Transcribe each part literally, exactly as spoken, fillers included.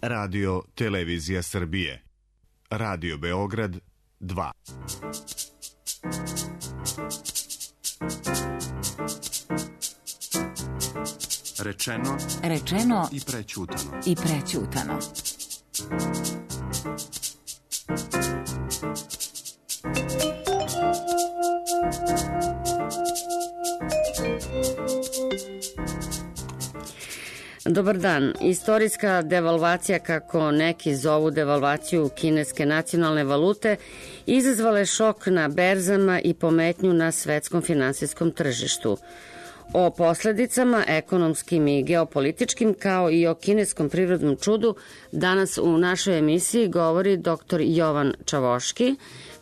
Radio Televizija Srbije. Radio Beograd dva. Rečeno, rečeno i prećutano. I prećutano. Dobar dan. Istorijska devalvacija, kako neki zovu devalvaciju kineske nacionalne valute, izazvala je šok na berzama i pometnju na svetskom finansijskom tržištu. O posledicama ekonomskim i geopolitičkim, kao i o kineskom prirodnom čudu, danas u našoj emisiji govori doktor Jovan Čavoški,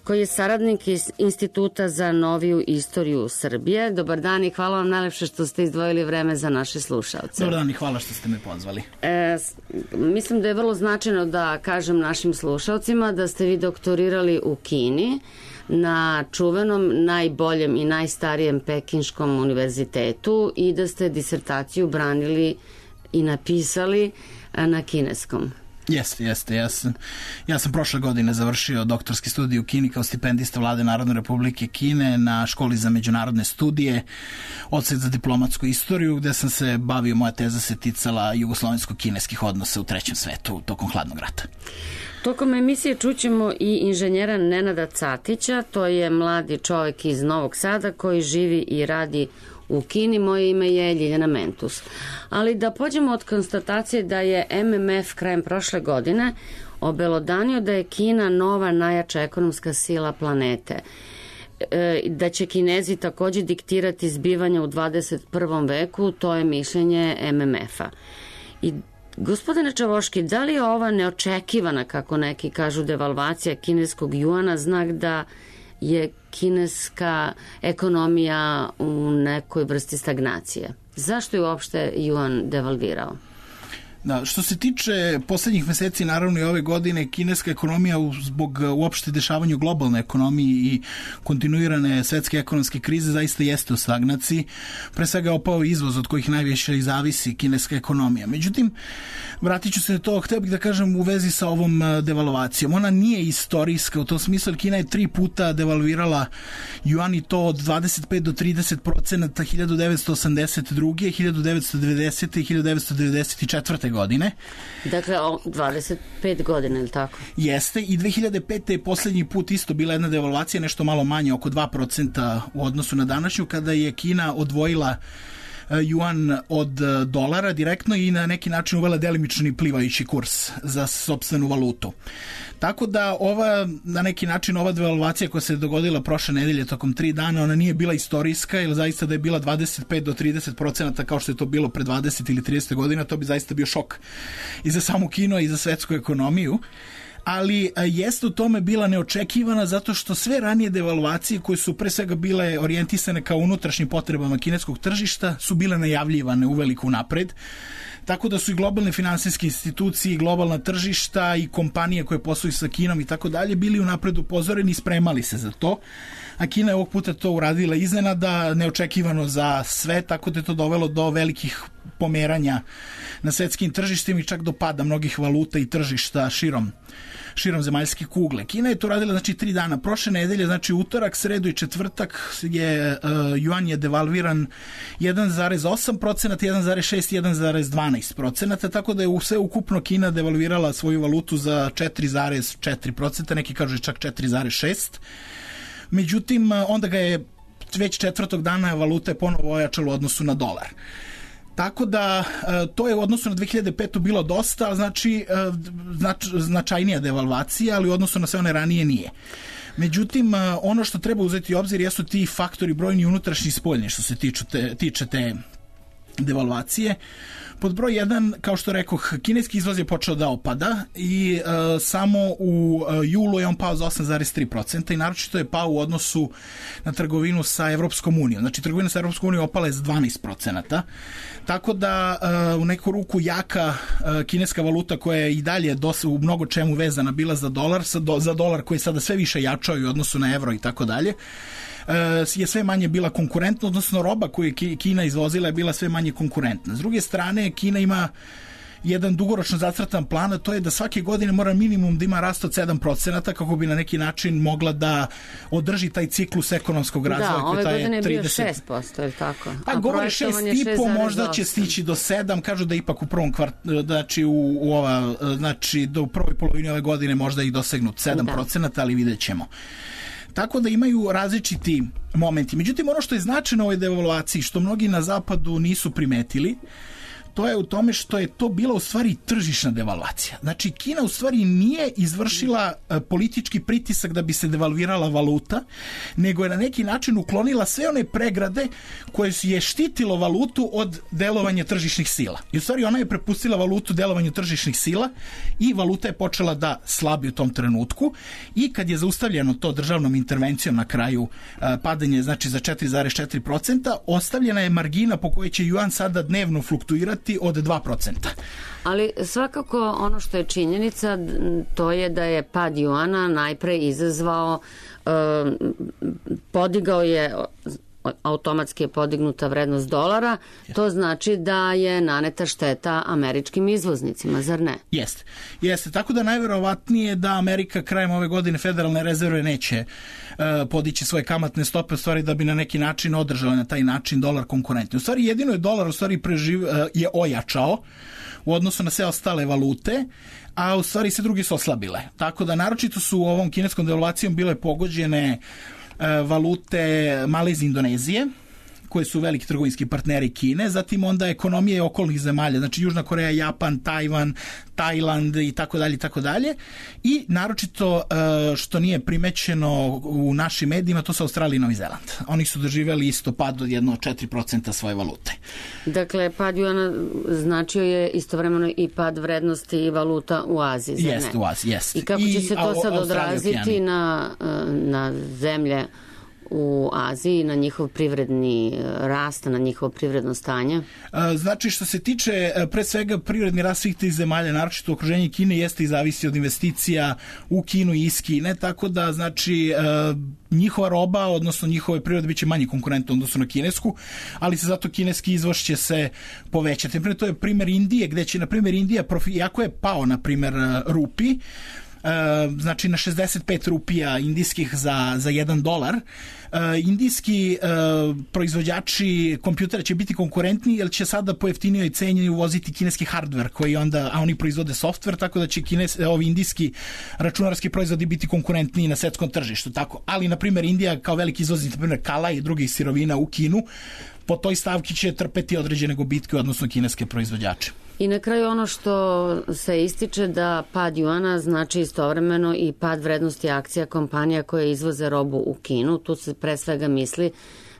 koji je saradnik iz Instituta za noviju istoriju Srbije. Dobar dan i hvala vam najlepše što ste izdvojili vreme za naše slušalce. Dobar dan i hvala što ste me pozvali. E, mislim da je vrlo značajno da kažem našim slušalcima da ste vi doktorirali u Kini na čuvenom, najboljem i najstarijem Pekinškom univerzitetu i da ste disertaciju branili i napisali na kineskom. Jeste, jeste. Ja sam, ja sam prošle godine završio doktorski studij u Kini kao stipendista Vlade Narodne Republike Kine na školi za međunarodne studije, odsek za diplomatsku istoriju, gde sam se bavio, moja teza se ticala jugoslovensko-kineskih odnosa u trećem svetu tokom hladnog rata. Tokom emisije čućemo i inženjera Nenada Catića, to je mladi čovek iz Novog Sada koji živi i radi u Kini. Moje ime je Ljiljana Mentus. Ali da pođemo od konstatacije da je M M F krajem prošle godine obelodanio da je Kina nova najjača ekonomska sila planete. E, da će Kinezi takođe diktirati zbivanja u dvadeset prvom veku, to je mišljenje M M F-a. I gospodine Čavoški, da li je ova neočekivana, kako neki kažu, devalvacija kineskog juana znak da je kineska ekonomija u nekoj vrsti stagnacije? Zašto je uopšte juan devalvirao? Da, što se tiče poslednjih meseci, naravno i ove godine, kineska ekonomija zbog uopšte dešavanja u globalnoj ekonomiji i kontinuirane svetske ekonomske krize zaista jeste u stagnaciji. Pre svega je opao izvoz od kojih najviše i zavisi kineska ekonomija. Međutim, vratit ću se na to, hteo bih da kažem u vezi sa ovom devalvacijom. Ona nije istorijska u tom smislu, Kina je tri puta devalvirala juan i to od dvadeset pet do trideset procenata hiljadu devetsto osamdeset druge, hiljadu devetsto devedesete i hiljadu devetsto devedeset četvrte godine. Dakle, dvadeset pet godina, je li tako? Jeste, i dve hiljade pete je poslednji put isto bila jedna devalvacija, nešto malo manje, oko dva procenta u odnosu na današnju, kada je Kina odvojila juan od dolara direktno i na neki način uvela delimični plivajući kurs za sopstvenu valutu. Tako da ova, na neki način, ova devalvacija koja se dogodila prošle nedelje tokom tri dana, ona nije bila istorijska, jer zaista da je bila dvadeset pet do trideset procenata kao što je to bilo pre dvadeset ili trideset godina, to bi zaista bio šok i za samu Kinu i za svetsku ekonomiju. Ali jeste u tome bila neočekivana zato što sve ranije devalvacije koje su pre svega bile orijentisane kao unutrašnjim potrebama kineskog tržišta su bile najavljivane uveliko napred. Tako da su i globalne finansijske institucije, i globalna tržišta i kompanije koje posluju sa Kinom i tako dalje bili unapred upozoreni i spremali se za to. A Kina je ovog puta to uradila iznenada, neočekivano za sve, tako da je to dovelo do velikih pomeranja na svetskim tržištima i čak do pada mnogih valuta i tržišta širom širom zemaljske kugle. Kina je to radila, znači, tri dana. Prošle nedelje, znači utorak, sredu i četvrtak je uh, juan je devalviran jedan zarez osam procenata, jedan zarez šest, jedan zarez dvanaest procenata, tako da je u sve ukupno Kina devalvirala svoju valutu za četiri zarez četiri procenta, neki kažu čak četiri zarez šest. Međutim, onda ga je već četvrtog dana valuta je ponovo ojačala u odnosu na dolar. Tako da to je u odnosu na dve hiljade petu bilo dosta, znači znač, značajnija devalvacija, ali u odnosu na sve one ranije nije. Međutim, ono što treba uzeti u obzir jesu ti faktori brojni unutrašnji i spoljni što se tiču te, tiče te devalvacije. Pod broj jedan, kao što rekoh, kineski izvoz je počeo da opada i uh, samo u uh, julu je on pao za osam zarez tri procenta i naročito je pao u odnosu na trgovinu sa Evropskom unijom. Znači, trgovina sa Evropskom unijom opala je za dvanaest procenata. Tako da uh, u neku ruku jaka uh, kineska valuta koja je i dalje dosta, u mnogo čemu vezana bila za dolar, sa do, za dolar koji sada sve više jačao i u odnosu na evro i tako dalje, je sve manje bila konkurentna, odnosno roba koju je Kina izvozila je bila sve manje konkurentna. S druge strane, Kina ima jedan dugoročno zacrtan plan, a to je da svake godine mora minimum da ima rast od sedam procenata kako bi na neki način mogla da održi taj ciklus ekonomskog razvoja. Da, ove godine je bio trideset šest posto, je li tako? A, a govore šest i po, možda će stići do sedam, kažu da ipak u prvom kvart, znači u, u ova, znači do u prvoj polovini ove godine možda i dosegnut sedam procenata, ali vidjet ćemo. Tako da imaju različiti momenti. Međutim, ono što je značajno u ovoj devalvaciji, što mnogi na zapadu nisu primetili, to je u tome što je to bila u stvari tržišna devalvacija. Znači, Kina u stvari nije izvršila politički pritisak da bi se devalvirala valuta, nego je na neki način uklonila sve one pregrade koje je štitilo valutu od delovanja tržišnih sila. I u stvari ona je prepustila valutu delovanju tržišnih sila i valuta je počela da slabi u tom trenutku i kad je zaustavljeno to državnom intervencijom na kraju padanje, znači za četiri zarez četiri procenta, ostavljena je margina po kojoj će juan sada dnevno fluktuirati od dva procenta. Ali svakako ono što je činjenica, to je da je pad juana najpre izazvao, eh, podigao je, automatski je podignuta vrednost dolara, to znači da je naneta šteta američkim izvoznicima, zar ne? Jeste. Jeste. Tako da najverovatnije da Amerika krajem ove godine federalne rezerve neće uh, podići svoje kamatne stope, u stvari da bi na neki način održala na taj način dolar konkurentni. U stvari jedino je dolar u stvari preživ, uh, je ojačao u odnosu na sve ostale valute, a u stvari sve drugi su oslabile. Tako da naročito su u ovom kineskom devalvacijom bile pogođene valute Malezije i Indonezije, koje su veliki trgovinski partneri Kine, zatim onda ekonomije okolnih zemalja, znači Južna Koreja, Japan, Tajvan, Tajland i tako dalje i tako dalje. I naročito što nije primećeno u našim medijima, to su Australija i Novi Zeland. Oni su doživjeli isto pad od jedno četiri procenta svoje valute. Dakle, pad juana značio je istovremeno i pad vrednosti i valuta u Aziji, zar ne? Jeste, u Aziji, jeste. I kako će se to sad odraziti na, na zemlje u Aziji, na njihov privredni rast, na njihovo privredno stanje? Znači, što se tiče pre svega privredni rast svih tih zemalja, naročito okruženje Kine, jeste i zavisi od investicija u Kinu i iz Kine, tako da znači njihova roba, odnosno njihove prirode biće manje konkurentne odnosno na kinesku, ali se zato kineski izvoz će se povećati. Naprimjer, to je primjer Indije, gde će, na primjer, Indija, profi, jako je pao, na primjer, rupi, Uh, znači na šezdeset pet rupija indijskih za, za jedan dolar. Uh, indijski uh, proizvođači kompjutera će biti konkurentni jer će sada po jeftinijoj ceni uvoziti kineski hardware koji onda, a oni proizvode software, tako da će kines, ovi indijski računarski proizvodi biti konkurentniji na svetskom tržištu. Tako. Ali, na primjer, Indija kao veliki izvoznik, na primjer kala i drugih sirovina u Kinu, po toj stavki će trpeti određene gubitke, odnosno kineske proizvođače. I na kraju ono što se ističe da pad juana znači istovremeno i pad vrednosti akcija kompanija koje izvoze robu u Kinu. Tu se pre svega misli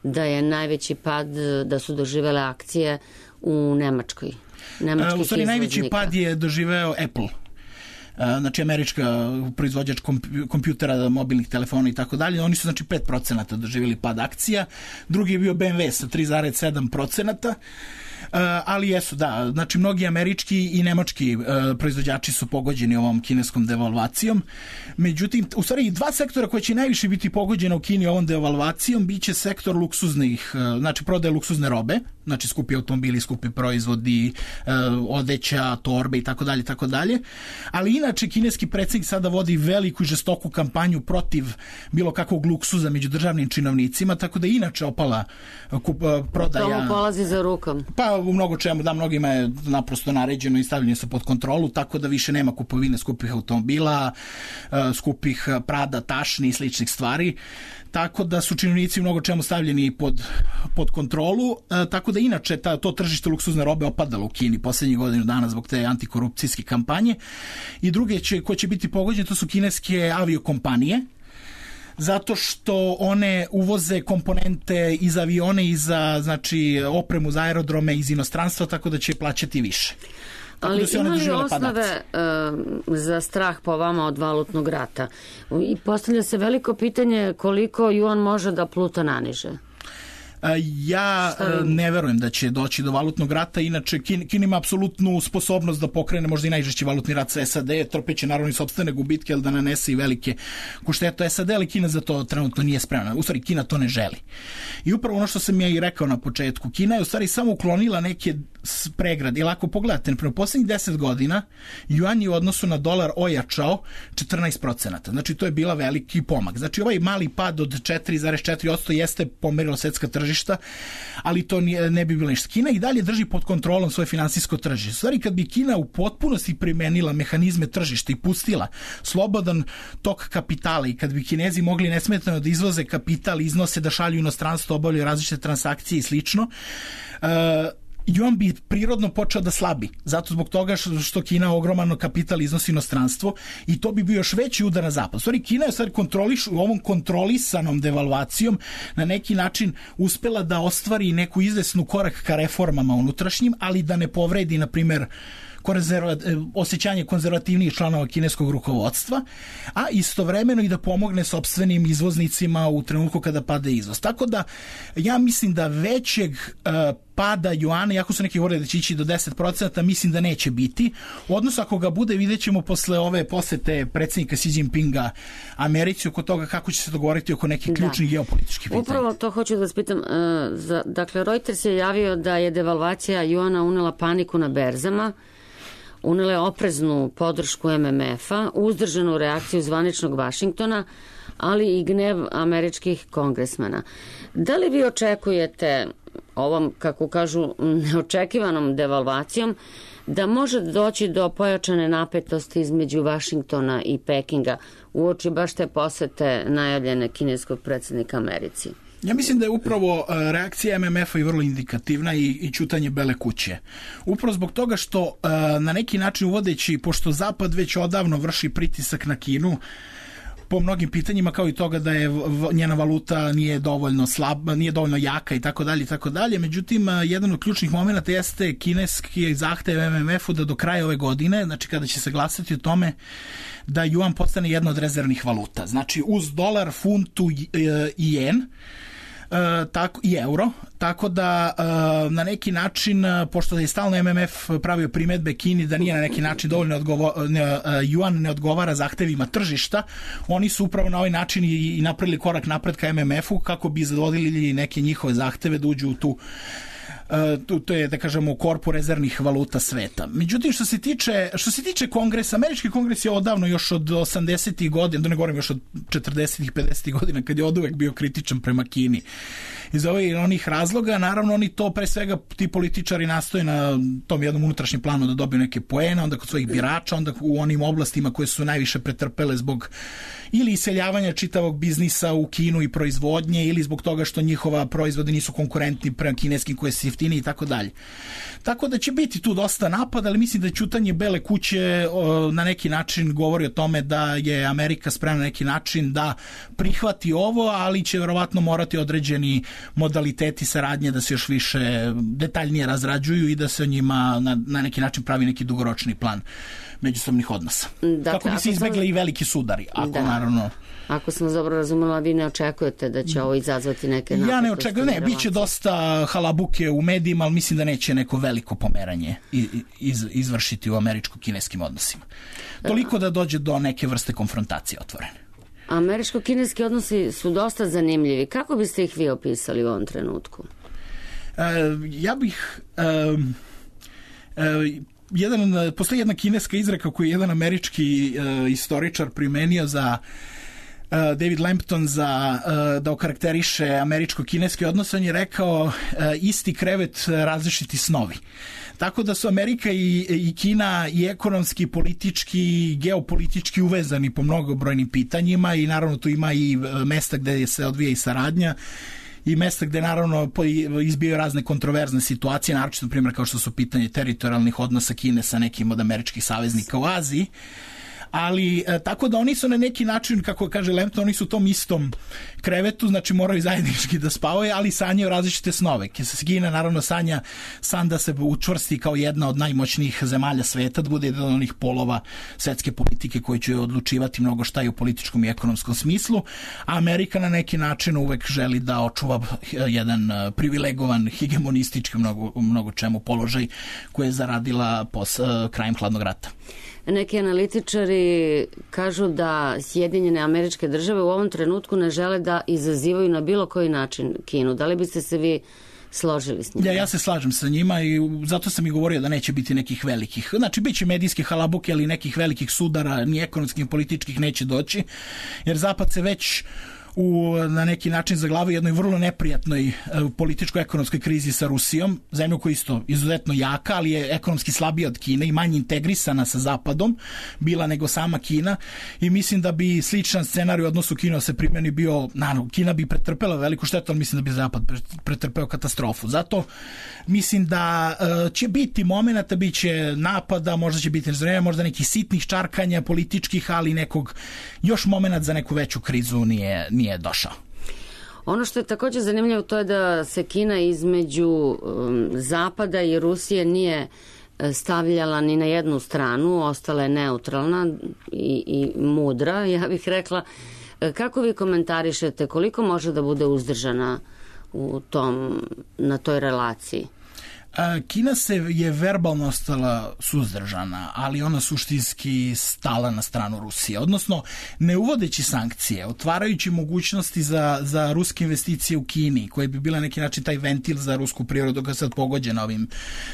da je najveći pad, da su doživele akcije u Nemačkoj. Nemačkih u stvari najveći pad je doživeo Apple. Znači američka proizvođač kompjutera, mobilnih telefona i tako dalje. Oni su znači pet procenata doživjeli pad akcija. Drugi je bio B M W sa tri zarez sedam procenata. Uh, ali jesu, da, znači mnogi američki i nemački uh, proizvođači su pogođeni ovom kineskom devalvacijom. Međutim, u stvari dva sektora koji će najviše biti pogođena u Kini ovom devalvacijom biće sektor luksuznih, uh, znači prodaje luksuzne robe, znači skupi automobili, skupi proizvodi, uh, odeća, torbe i tako dalje, tako dalje. Ali inače kineski predsjednik sada vodi veliku i žestoku kampanju protiv bilo kakvog luksuza među državnim činovnicima, tako da inače opala kup, uh, prodaja. Tomu polazi za rukom. Pa u mnogo čemu, da, mnogima je naprosto naređeno i stavljeno se pod kontrolu, tako da više nema kupovine skupih automobila, skupih Prada, tašni i sličnih stvari, tako da su činovnici u mnogo čemu stavljeni pod, pod kontrolu, tako da inače ta, to tržište luksuzne robe opadalo u Kini poslednjih godinu dana zbog te antikorupcijske kampanje. I druge će, ko će biti pogođene, to su kineske aviokompanije, zato što one uvoze komponente iz avione i za, znači, opremu za aerodrome iz inostranstva, tako da će plaćati više. Tako ali da ima li osnove uh, za strah po vama od valutnog rata? I postavlja se veliko pitanje koliko juan može da pluta naniže. Ja ne verujem da će doći do valutnog rata, inače Kina ima apsolutnu sposobnost da pokrene možda i najžešći valutni rat sa S A D, trpeće naravno i sopstvene gubitke, ali da nanese i velike štete S A D, ali Kina za to trenutno nije spremna. U stvari, Kina to ne želi. I upravo ono što sam ja i rekao na početku, Kina je u stvari samo uklonila neke pregrade. Ili ako pogledate, u poslednjih deset godina juan je u odnosu na dolar ojačao četrnaest procenata. Znači, to je bila veliki pomak. Znači, ovaj mali pad od četiri zarez četiri posto jeste pomerilo svetska tržišta, ali to nije, ne bi bilo ništa. Kina i dalje drži pod kontrolom svoje finansijsko tržište. U stvari, kad bi Kina u potpunosti primenila mehanizme tržišta i pustila slobodan tok kapitala i kad bi Kinezi mogli nesmetano da izvoze kapital, iznose, da šalju inostranstvo, obavljaju različite transakcije i slično, uh, juan bi prirodno počeo da slabi, zato zbog toga što Kina ogroman kapital iznosi inostranstvo i to bi bio još veći udar na zapad. U stvari, Kina je sad kontroliš, u ovom kontrolisanom devalvacijom na neki način uspela da ostvari neku izvesnu korak ka reformama unutrašnjim, ali da ne povredi, na primer, osjećanje konzervativnijih članova kineskog rukovodstva, a istovremeno i da pomogne sopstvenim izvoznicima u trenutku kada pada izvoz. Tako da ja mislim da većeg uh, pada juana, jako su neki govorili da će ići do deset procenata, mislim da neće biti. Odnosno, ako ga bude, vidjet ćemo posle ove posete predsjednika Xi Jinpinga Americi oko toga kako će se dogovoriti oko nekih ključnih da. geopolitičkih pitanja. Upravo to hoću da vas pitam. Uh, za, dakle, Reuters je javio da je devalvacija juana unela paniku na berzama, unele opreznu podršku M M F-a, uzdržanu reakciju zvaničnog Vašingtona, ali i gnev američkih kongresmena. Da li vi očekujete ovom, kako kažu, neočekivanom devalvacijom da može doći do pojačane napetosti između Vašingtona i Pekinga uoči baš te posete najavljene kineskog predsjednika Americi? Ja mislim da je upravo reakcija M M F-a i vrlo indikativna i, i ćutanje Bele kuće. Upravo zbog toga što na neki način uvodeći, pošto Zapad već odavno vrši pritisak na Kinu, po mnogim pitanjima, kao i toga da je njena valuta nije dovoljno slaba, nije dovoljno jaka i tako dalje i tako dalje. Međutim, jedan od ključnih momenata jeste kineski zahtev M M F-u da do kraja ove godine, znači kada će se glasati o tome da juan postane jedna od rezervnih valuta. Znači uz dolar, funtu i jen, Uh, tako, i euro, tako da uh, na neki način, pošto je stalno M M F pravio primedbe Kini da nije na neki način dovoljno odgovo, ne, uh, juan ne odgovara zahtevima tržišta, oni su upravo na ovaj način i, i napravili korak napred ka M M F-u kako bi zadovoljili neke njihove zahteve da uđu u tu Uh, to je, da kažemo, korpu rezervnih valuta sveta. Međutim, što se tiče, što se tiče kongresa, američki kongres je odavno još od osamdesetih godina, da ne govorim još od četrdesetih, pedesetih godina, kad je od uvek bio kritičan prema Kini. Iz ovih onih razloga, naravno, oni to pre svega, ti političari nastoje na tom jednom unutrašnjem planu da dobiju neke poene, onda kod svojih birača, onda u onim oblastima koje su najviše pretrpele zbog ili iseljavanja čitavog biznisa u Kinu i proizvodnje, ili zbog toga što njihova proizvode nisu konkurentni prema kineskim koje su jeftini i tako dalje. Tako da će biti tu dosta napada, ali mislim da ćutanje Bele kuće o, na neki način govori o tome da je Amerika spremna na neki način da prihvati ovo, ali će verovatno morati određeni modaliteti saradnje da se još više detaljnije razrađuju i da se o njima na, na neki način pravi neki dugoročni plan međusobnih odnosa. Dakle, kako bi se izbegli sam... i veliki sudari, ako da. naravno... Ako sam dobro razumela, vi ne očekujete da će ovo izazvati neke napetosti? Ja ne očekujem, ne, bit će dosta halabuke u medijima, ali mislim da neće neko veliko pomeranje iz, izvršiti u američko-kineskim odnosima. Toliko da dođe do neke vrste konfrontacije otvorene. Američko-kineski odnosi su dosta zanimljivi. Kako biste ih vi opisali u ovom trenutku? E, ja bih... E, e, jedan, postoji jedna kineska izreka koju je jedan američki e, istoričar primenio za e, David Lampton za e, da okarakteriše američko-kineski odnos. On je rekao e, isti krevet, različiti snovi. Tako da su Amerika i, i Kina i ekonomski, politički i geopolitički uvezani po mnogobrojnim pitanjima i naravno tu ima i mesta gde se odvija i saradnja i mesta gde naravno izbijaju razne kontroverzne situacije, naročito na primjer kao što su pitanje teritorijalnih odnosa Kine sa nekim od američkih saveznika u Aziji. ali e, tako da oni su na neki način, kako kaže Lempton, oni su u tom istom krevetu, znači moraju zajednički da spavaju, ali sanjaju različite snove. Kina naravno sanja san da se učvrsti kao jedna od najmoćnijih zemalja sveta, da bude jedan od onih polova svetske politike koji će odlučivati mnogo šta i u političkom i ekonomskom smislu, a Amerika na neki način uvek želi da očuva jedan privilegovan, hegemonistički mnogo, mnogo čemu položaj koji je zaradila pos, krajem hladnog rata. Neki analitičari kažu da Sjedinjene Američke Države u ovom trenutku ne žele da izazivaju na bilo koji način Kinu. Da li biste se vi složili s njima? Ja, ja se slažem sa njima i zato sam i govorio da neće biti nekih velikih. Znači, bit će medijske halabuke, ali nekih velikih sudara, ni ekonomskih, ni političkih neće doći, jer Zapad se već u, na neki način zaglavio jednoj vrlo neprijatnoj e, političko-ekonomskoj krizi sa Rusijom, zemlju koja je isto izuzetno jaka, ali je ekonomski slabija od Kine i manje integrisana sa Zapadom bila nego sama Kina, i mislim da bi sličan scenarij u odnosu Kina se primjeni bio, naravno, Kina bi pretrpela veliku štetu, ali mislim da bi Zapad pretrpeo katastrofu. Zato mislim da e, će biti momenata, bit će napada, možda će biti nezvremena, možda nekih sitnih čarkanja političkih, ali nekog još momenat za neku veću krizu nije nije došao. Ono što je također zanimljivo to je da se Kina između um, Zapada i Rusije nije stavljala ni na jednu stranu, ostala je neutralna i, i mudra, ja bih rekla. Kako vi komentarišete, koliko može da bude uzdržana u tom, na toj relaciji? Kina se je verbalno ostala suzdržana, ali ona suštinski stala na stranu Rusije. Odnosno, ne uvodeći sankcije, otvarajući mogućnosti za, za ruske investicije u Kini, koje bi bila neki način taj ventil za rusku prirodu koja je sad pogođena ovim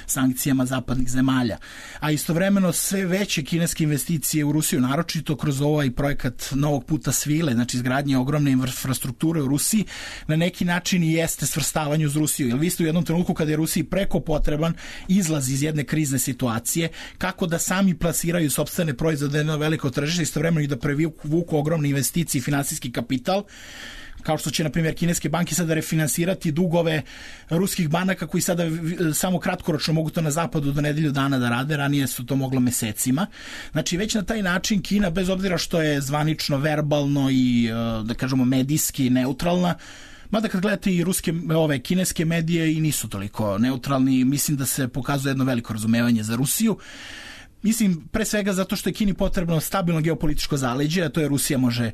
sankcijama zapadnih zemalja. A istovremeno sve veće kineske investicije u Rusiju, naročito kroz ovaj projekat novog puta svile, znači izgradnje ogromne infrastrukture u Rusiji, na neki način i jeste svrstavanje uz Rusiju. Jer vi ste u jednom trenutku kada je Rusiji preko potreban izlaz iz jedne krizne situacije, kako da sami plasiraju sopstvene proizvode na veliko tržište, istovremeno i da prevuku ogromne investicije i finansijski kapital, kao što će, na primjer, kineske banke sada refinansirati dugove ruskih banaka koji sada samo kratkoročno mogu to na zapadu do nedelju dana da rade, ranije su to moglo mesecima. Znači, već na taj način Kina, bez obzira što je zvanično, verbalno i, da kažemo, medijski neutralna, mada kad gledate i ruske, ove kineske medije i nisu toliko neutralni, mislim da se pokazuje jedno veliko razumevanje za Rusiju. Mislim, pre svega zato što je Kini potrebno stabilno geopolitičko zaleđe, a to je Rusija može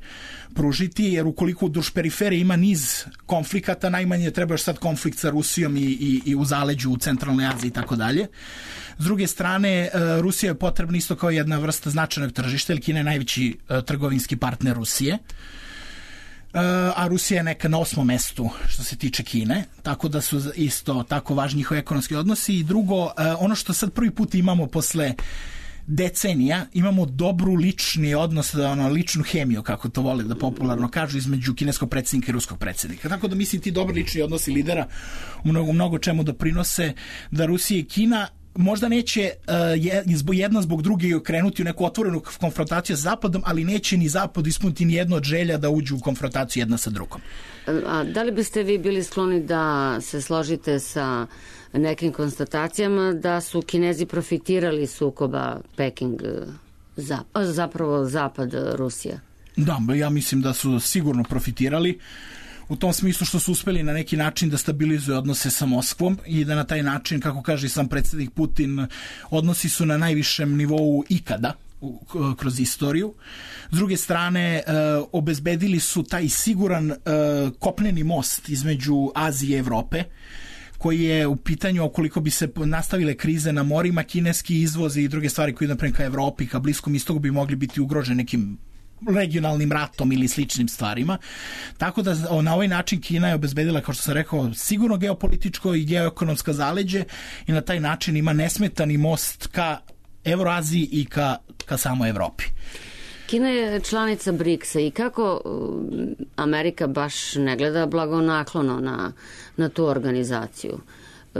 pružiti, jer ukoliko duž periferije ima niz konflikata, najmanje treba još sad konflikt sa Rusijom i, i, i u zaleđu u centralnoj Aziji i tako dalje. S druge strane, Rusija je potrebna isto kao jedna vrsta značajnog tržišta, jer Kina je najveći trgovinski partner Rusije, a Rusija je neka na osmom mestu što se tiče Kine, tako da su isto tako važni njihovi ekonomski odnosi. I drugo, ono što sad prvi put imamo posle decenija, imamo dobru lični odnos, ono, ličnu hemiju, kako to vole da popularno kažu, između kineskog predsjednika i ruskog predsjednika. Tako da mislim ti dobri lični odnosi lidera u mnogo, mnogo čemu doprinose da Rusija i Kina možda neće uh, jedna zbog druge krenuti u neku otvorenu konfrontaciju sa Zapadom, ali neće ni Zapad ispuniti ni jedno od želja da uđu u konfrontaciju jedna sa drugom. A da li biste vi bili skloni da se složite sa nekim konstatacijama da su Kinezi profitirali sukoba Peking zapravo Zapad Rusija? Da, ja mislim da su sigurno profitirali, u tom smislu što su uspeli na neki način da stabilizuju odnose sa Moskvom i da na taj način, kako kaže sam predsjednik Putin, odnosi su na najvišem nivou ikada kroz istoriju. S druge strane, e, obezbedili su taj siguran e, kopneni most između Azije i Evrope, koji je u pitanju ukoliko bi se nastavile krize na morima, kineski izvozi i druge stvari koji naprimjer ka Evropi, ka Bliskom istoku bi mogli biti ugroženi nekim regionalnim ratom ili sličnim stvarima. Tako da na ovaj način Kina je obezbedila, kao što sam rekao, sigurno geopolitičko i geoekonomsko zaleđe i na taj način ima nesmetani most ka Evroaziji i ka, ka samoj Evropi. Kina je članica briksa i kako Amerika baš ne gleda blagonaklono na, na tu organizaciju.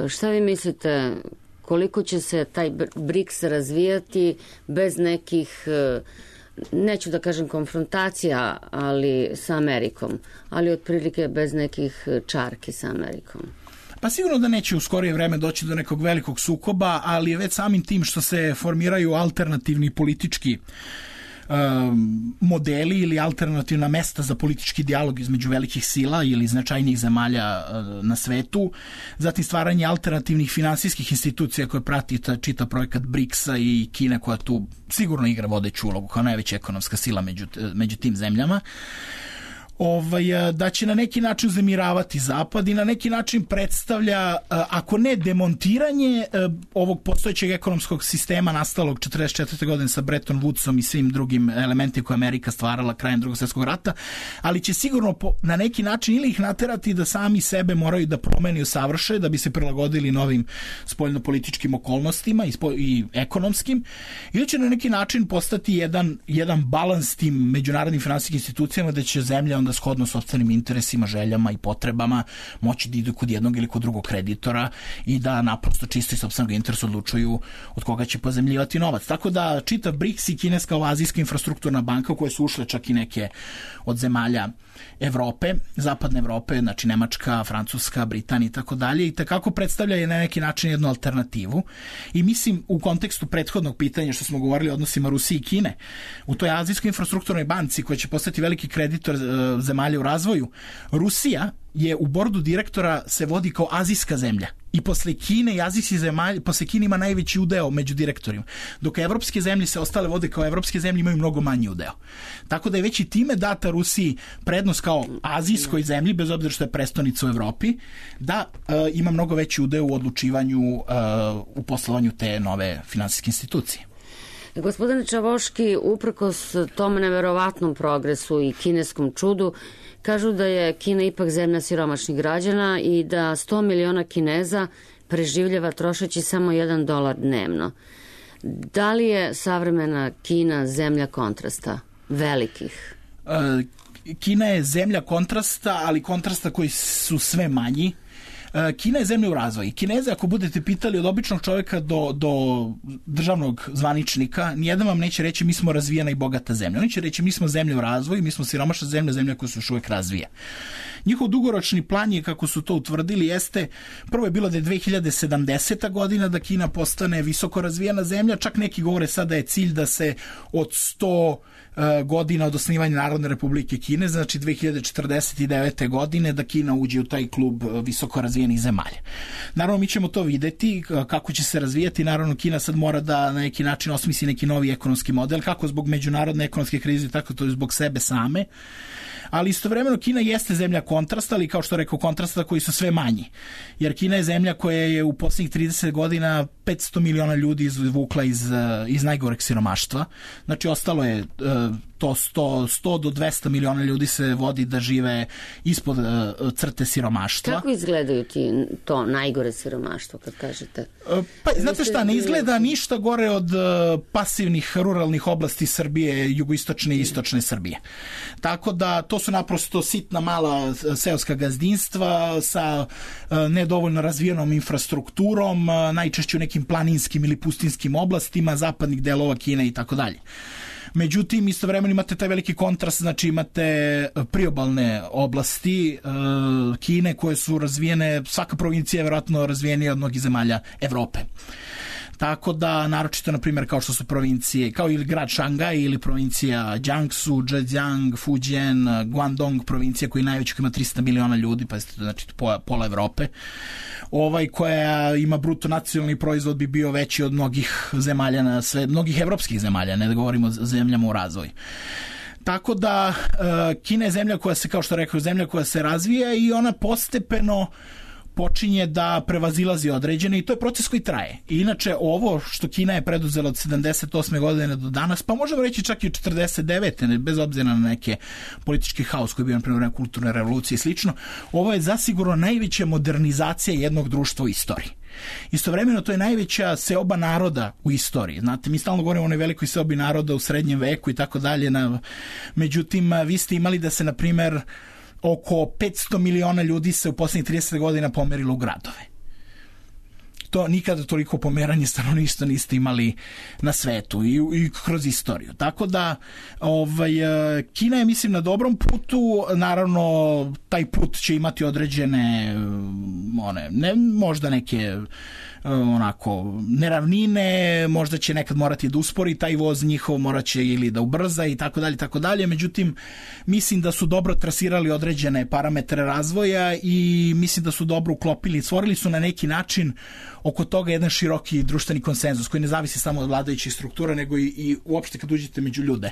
Šta vi mislite, koliko će se taj briks razvijati bez nekih, neću da kažem konfrontacija, ali sa Amerikom, ali otprilike bez nekih čarki sa Amerikom? Pa sigurno da neće u skorije vreme doći do nekog velikog sukoba, ali je već samim tim što se formiraju alternativni politički modeli ili alternativna mesta za politički dijalog između velikih sila ili značajnijih zemalja na svetu, zatim stvaranje alternativnih finansijskih institucija koje prati čita projekat briksa i Kina koja tu sigurno igra vodeću ulogu kao najveća ekonomska sila među, među tim zemljama. Ovaj, da će na neki način uzemiravati Zapad i na neki način predstavlja, ako ne demontiranje ovog postojećeg ekonomskog sistema nastalog četrdeset četvrte godine sa Bretton Woodsom i svim drugim elementima koje Amerika stvarala krajem Drugog svjetskog rata, ali će sigurno na neki način ili ih naterati da sami sebe moraju da promeni i usavrše da bi se prilagodili novim spoljnopolitičkim okolnostima i, spo, i ekonomskim, ili će na neki način postati jedan, jedan balans tim međunarodnim finansijskim institucijama da će zemlja onda shodno sopstvenim interesima, željama i potrebama moći da idu kod jednog ili kod drugog kreditora i da naprosto čisto iz sopstvenog interesa odlučuju od koga će pozemljivati novac. Tako da čitav BRICS i kineska azijska infrastrukturna banka u koje su ušle čak i neke od zemalja Evrope, zapadne Evrope, znači Nemačka, Francuska, Britanija i tako dalje, i takako predstavlja je na neki način jednu alternativu. I mislim u kontekstu prethodnog pitanja što smo govorili o odnosima Rusije i Kine, u toj azijskoj infrastrukturnoj banci koja će postati veliki kreditor zemalja u razvoju, Rusija je u bordu direktora se vodi kao azijska zemlja i posle Kine i azijskih zemalja, posle Kine ima najveći udeo među direktorima, dok evropske zemlje se ostale vode kao evropske zemlje imaju mnogo manji udeo. Tako da je već i time data Rusiji prednost kao azijskoj zemlji, bez obzira što je prestonica u Evropi, da e, ima mnogo veći udeo u odlučivanju e, u poslovanju te nove finansijske institucije. Gospodine Čavoški, uprkos tom neverovatnom progresu i kineskom čudu, kažu da je Kina ipak zemlja siromašnih građana i da sto miliona Kineza preživljava trošeći samo jedan dolar dnevno. Da li je savremena Kina zemlja kontrasta, velikih? Kina je zemlja kontrasta, ali kontrasta koji su sve manji. Kina je zemlja u razvoju. Kineze, ako budete pitali od običnog čovjeka do, do državnog zvaničnika, nijedan vam neće reći mi smo razvijena i bogata zemlja. Oni će reći mi smo zemlja u razvoju, mi smo siromašna zemlja, zemlja koja se još uvijek razvija. Njihov dugoročni plan je, kako su to utvrdili, jeste, prvo je bilo da je dve hiljade sedamdeseta godina da Kina postane visoko razvijena zemlja, čak neki govore sada da je cilj da se od sto godina od osnivanja Narodne republike Kine, znači dve hiljade četrdeset devete godine, da Kina uđe u taj klub visoko razvijenih zemalja. Naravno, mi ćemo to videti kako će se razvijati. Naravno, Kina sad mora da na neki način osmisli neki novi ekonomski model, kako zbog međunarodne ekonomske krize, tako to i zbog sebe same. Ali istovremeno Kina jeste zemlja kontrasta, ali kao što rekao, kontrasta koji su sve manji. Jer Kina je zemlja koja je u posljednjih trideset godina petsto miliona ljudi izvukla iz, iz najgoreg siromaštva. Znači, ostalo je to sto, sto do dvesta miliona ljudi se vodi da žive ispod crte siromaštva. Kako izgledaju ti to najgore siromaštvo, kad kažete? Pa, znate šta, ne izgleda ništa gore od pasivnih ruralnih oblasti Srbije, jugoistočne i istočne Srbije. Tako da to su naprosto sitna mala seoska gazdinstva sa nedovoljno razvijenom infrastrukturom, najčešće u nekim planinskim ili pustinskim oblastima zapadnih delova Kine i tako dalje. Međutim, istovremeno imate taj veliki kontrast, znači imate priobalne oblasti uh, Kine koje su razvijene, svaka provincija je vjerojatno razvijenija od mnogih zemalja Evrope. Tako da, naročito, na primjer, kao što su provincije, kao ili grad Šangaj ili provincija Jiangsu, Zhejiang, Fujian, Guangdong, provincija koji najveći, koja ima trista miliona ljudi, pa znači pola, pola Evrope, ovaj, koja ima bruto nacionalni proizvod bi bio veći od mnogih zemalja na sve, mnogih evropskih zemalja, ne da govorimo o zemljama u razvoju. Tako da, Kina je zemlja koja se, kao što rekao, zemlja koja se razvija i ona postepeno počinje da prevazilazi određene i to je proces koji traje. I inače ovo što Kina je preduzela od sedamdeset osme godine do danas, pa možemo reći čak i od četrdeset devete bez obzira na neke politički haos koji je bio na primjer kulturne revolucije i slično, ovo je zasigurno najveća modernizacija jednog društva u istoriji. Istovremeno to je najveća seoba naroda u istoriji. Znate, mi stalno govorimo o onoj velikoj seobi naroda u srednjem veku i tako dalje. Međutim, vi ste imali da se, na primjer, oko petsto miliona ljudi se u posljednjih trideset godina pomerilo u gradove. To nikada toliko pomeranje stanovništva niste imali na svetu i, i kroz istoriju. Tako da ovaj, Kina je, mislim, na dobrom putu. Naravno, taj put će imati određene one, ne, možda neke onako neravnine, možda će nekad morati da uspori taj voz njihov, morat će ili da ubrza i tako dalje, tako dalje. Međutim, mislim da su dobro trasirali određene parametre razvoja i mislim da su dobro uklopili, stvorili su na neki način oko toga jedan široki društveni konsenzus koji ne zavisi samo od vladajućih struktura, nego i, i uopšte kad uđete među ljude.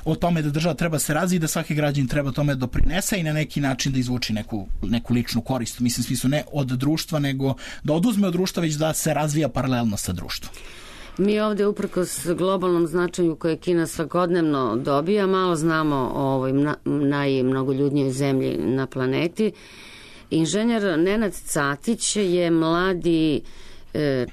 O tome da država treba se razviti, da svaki građanin treba tome doprinese i na neki način da izvuči neku, neku ličnu korist. Mislim, smislu ne od društva, nego da oduzme od društva, već da se razvija paralelno sa društvom. Mi ovdje uprkos globalnom značaju koje Kina svakodnevno dobija, malo znamo o ovoj najmnogoljudnijoj zemlji na planeti. Inženjer Nenad Catić je mladi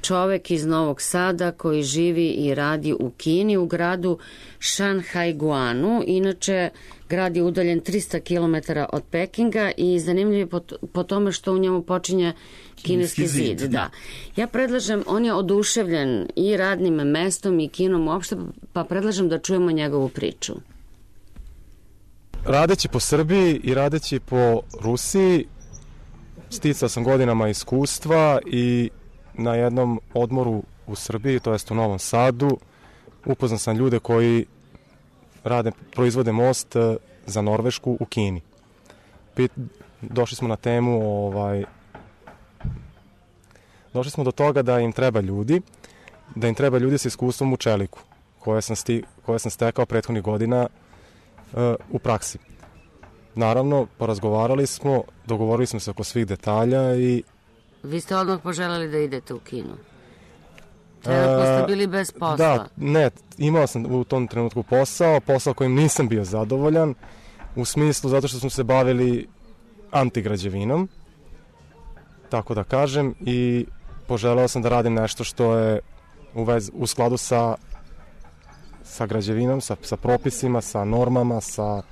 čovek iz Novog Sada koji živi i radi u Kini, u gradu Šanhajguanu. Inače, grad je udaljen trista kilometara od Pekinga i zanimljiv je po, po tome što u njemu počinje kineski zid. zid da. Ja predlažem, on je oduševljen i radnim mestom i Kinom uopšte, pa predlažem da čujemo njegovu priču. Radeći po Srbiji i radeći po Rusiji, sticao sam godinama iskustva i na jednom odmoru u Srbiji, to jest u Novom Sadu, upoznao sam ljude koji rade, proizvode most za Norvešku u Kini. Pit, došli smo na temu, ovaj, došli smo do toga da im treba ljudi, da im treba ljudi sa iskustvom u čeliku, koje sam, sti, koje sam stekao prethodnih godina uh, u praksi. Naravno, porazgovarali smo, dogovorili smo se oko svih detalja i... Vi ste odmah poželjeli da idete u Kinu? Trenutno ste bili bez posla? Da, ne, imao sam u tom trenutku posao, posao kojim nisam bio zadovoljan, u smislu zato što smo se bavili antigrađevinom, tako da kažem, i poželeo sam da radim nešto što je u, vez, u skladu sa, sa građevinom, sa, sa propisima, sa normama, sa,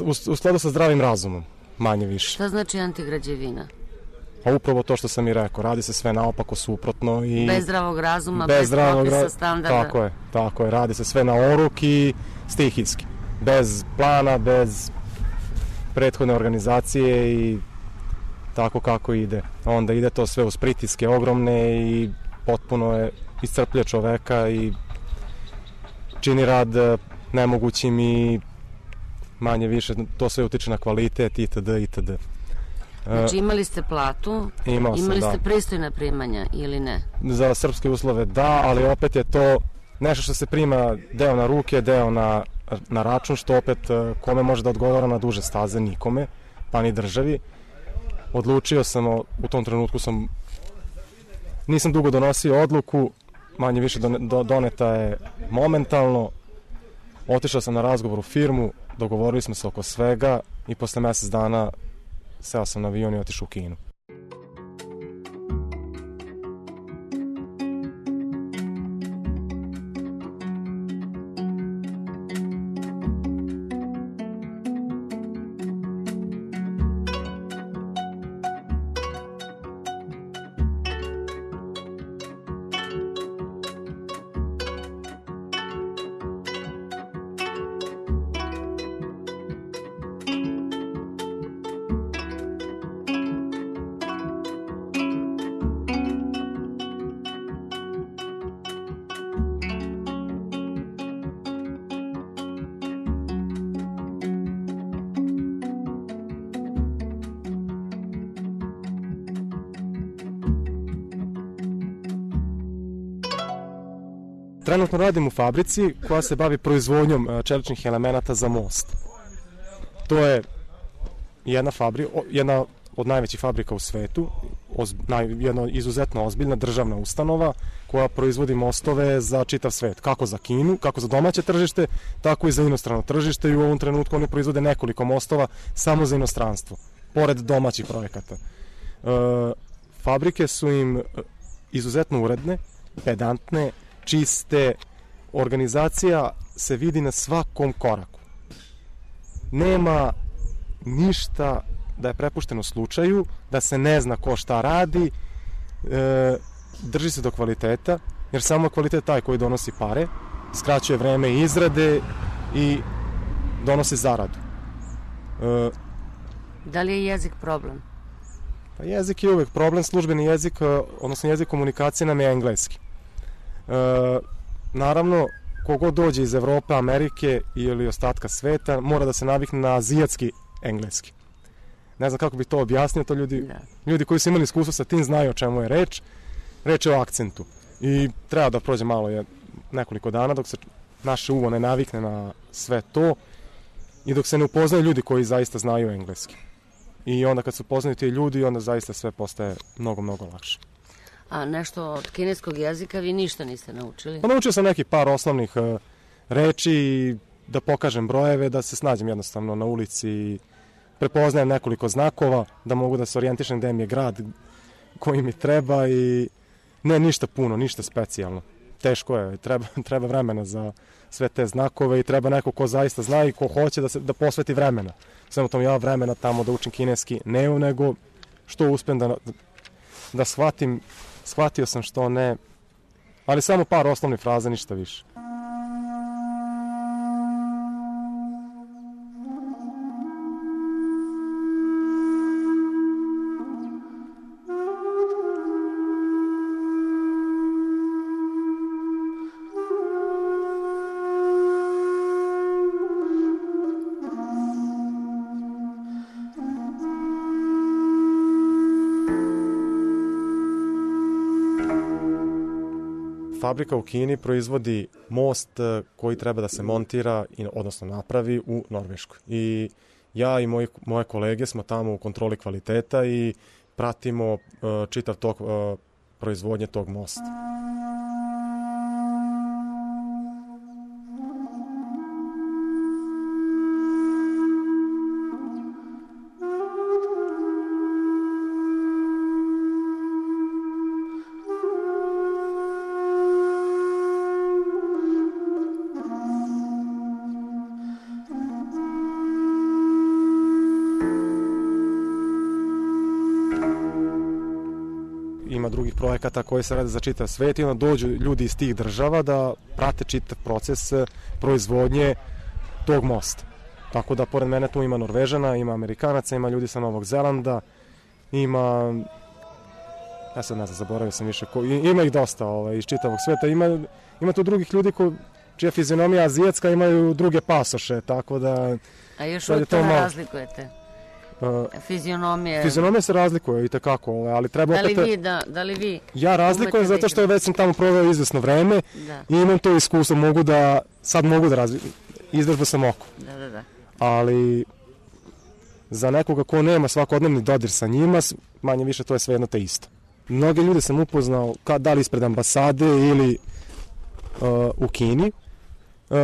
u, u skladu sa zdravim razumom, manje više. Šta znači antigrađevina? Pa upravo to što sam i rekao, radi se sve naopako, suprotno i... Bez zdravog razuma, bez, bez zdravog propisa, ra... standarda. Tako je, tako je, radi se sve na oruk i stihijski. Bez plana, bez prethodne organizacije i tako kako ide. Onda ide to sve uz pritiske ogromne i potpuno je iscrplje čoveka i čini rad nemogućim i manje više to sve utiče na kvalitet itd. itd. Znači imali ste platu, Imao sam, imali ste da. pristojna primanja ili ne? Za srpske uslove da, ali opet je to nešto što se prima deo na ruke, deo na, na račun, što opet kome može da odgovara na duže staze, nikome, pa ni državi. Odlučio sam, u tom trenutku sam, nisam dugo donosio odluku, manje više doneta je momentalno, otišao sam na razgovor u firmu, dogovorili smo se oko svega i posle mjesec dana seo sam na avion i otišao u Kinu. Trenutno radim u fabrici koja se bavi proizvodnjom čeličnih elemenata za most. To je jedna, fabri, jedna od najvećih fabrika u svetu, oz, naj, jedna izuzetno ozbiljna državna ustanova koja proizvodi mostove za čitav svet, kako za Kinu, kako za domaće tržište, tako i za inostrano tržište, i u ovom trenutku oni proizvode nekoliko mostova samo za inostranstvo, pored domaćih projekata. E, fabrike su im izuzetno uredne, pedantne, čiste, organizacija se vidi na svakom koraku. Nema ništa da je prepušteno slučaju, da se ne zna ko šta radi, e, drži se do kvaliteta, jer samo kvalitet taj koji donosi pare, skraćuje vreme izrade i donosi zaradu. E, da li je jezik problem? Pa jezik je uvek problem, službeni jezik, odnosno jezik komunikacije nam je engleski. E, naravno, kogod dođe iz Evrope, Amerike ili ostatka sveta, mora da se navikne na azijatski engleski. Ne znam kako bi to objasnio, to ljudi, da. ljudi koji su imali iskustvo sa tim znaju o čemu je reč. Reč je o akcentu. I treba da prođe malo je nekoliko dana dok se naše uvo ne navikne na sve to i dok se ne upoznaju ljudi koji zaista znaju engleski. I onda kad se upoznaju ti ljudi, onda zaista sve postaje mnogo, mnogo lakše. A nešto od kineskog jezika vi ništa niste naučili? Pa naučio sam neki par osnovnih uh, reči, da pokažem brojeve, da se snađem jednostavno na ulici, prepoznajem nekoliko znakova, da mogu da se orijentišem gde mi je grad koji mi treba i ne ništa puno, ništa specijalno. Teško je, treba, treba vremena za sve te znakove i treba neko ko zaista zna i ko hoće da, se, da posveti vremena. Samo tom ja vremena tamo da učim kineski ne, nego što uspem da, da shvatim, shvatio sam što ne, ali samo par osnovnih fraza, ništa više. Fabrika u Kini proizvodi most koji treba da se montira, odnosno napravi u Norveškoj. I ja i moji, moje kolege smo tamo u kontroli kvaliteta i pratimo uh, čitav tok uh, proizvodnje tog mosta. Ima drugih projekata koji se rade za čitav svet i onda dođu ljudi iz tih država da prate čitav proces proizvodnje tog mosta. Tako da pored mene tu ima Norvežana, ima Amerikanaca, ima ljudi sa Novog Zelanda, ima, ja sad ne znam, zaboravio sam više, ko, ima ih dosta ovaj, iz čitavog sveta, ima, ima tu drugih ljudi ko, čija fizionomija azijatska, imaju druge pasoše, tako da... A još uvijek to ne razlikujete? Uh, fizionomije... Fizionomija se razlikuje i tekako, ali treba da li opet... Vi, da, da li vi... Ja razlikujem zato što već sam tamo proveo izvesno vreme da. I imam to iskustvo, mogu da, sad mogu da različim, izvežbao sam oko. Da, da, da. Ali za nekoga ko nema svakodnevni dodir sa njima, manje više to je sve jedno te isto. Mnoge ljude sam upoznao, kad, da li ispred ambasade ili uh, u Kini, uh,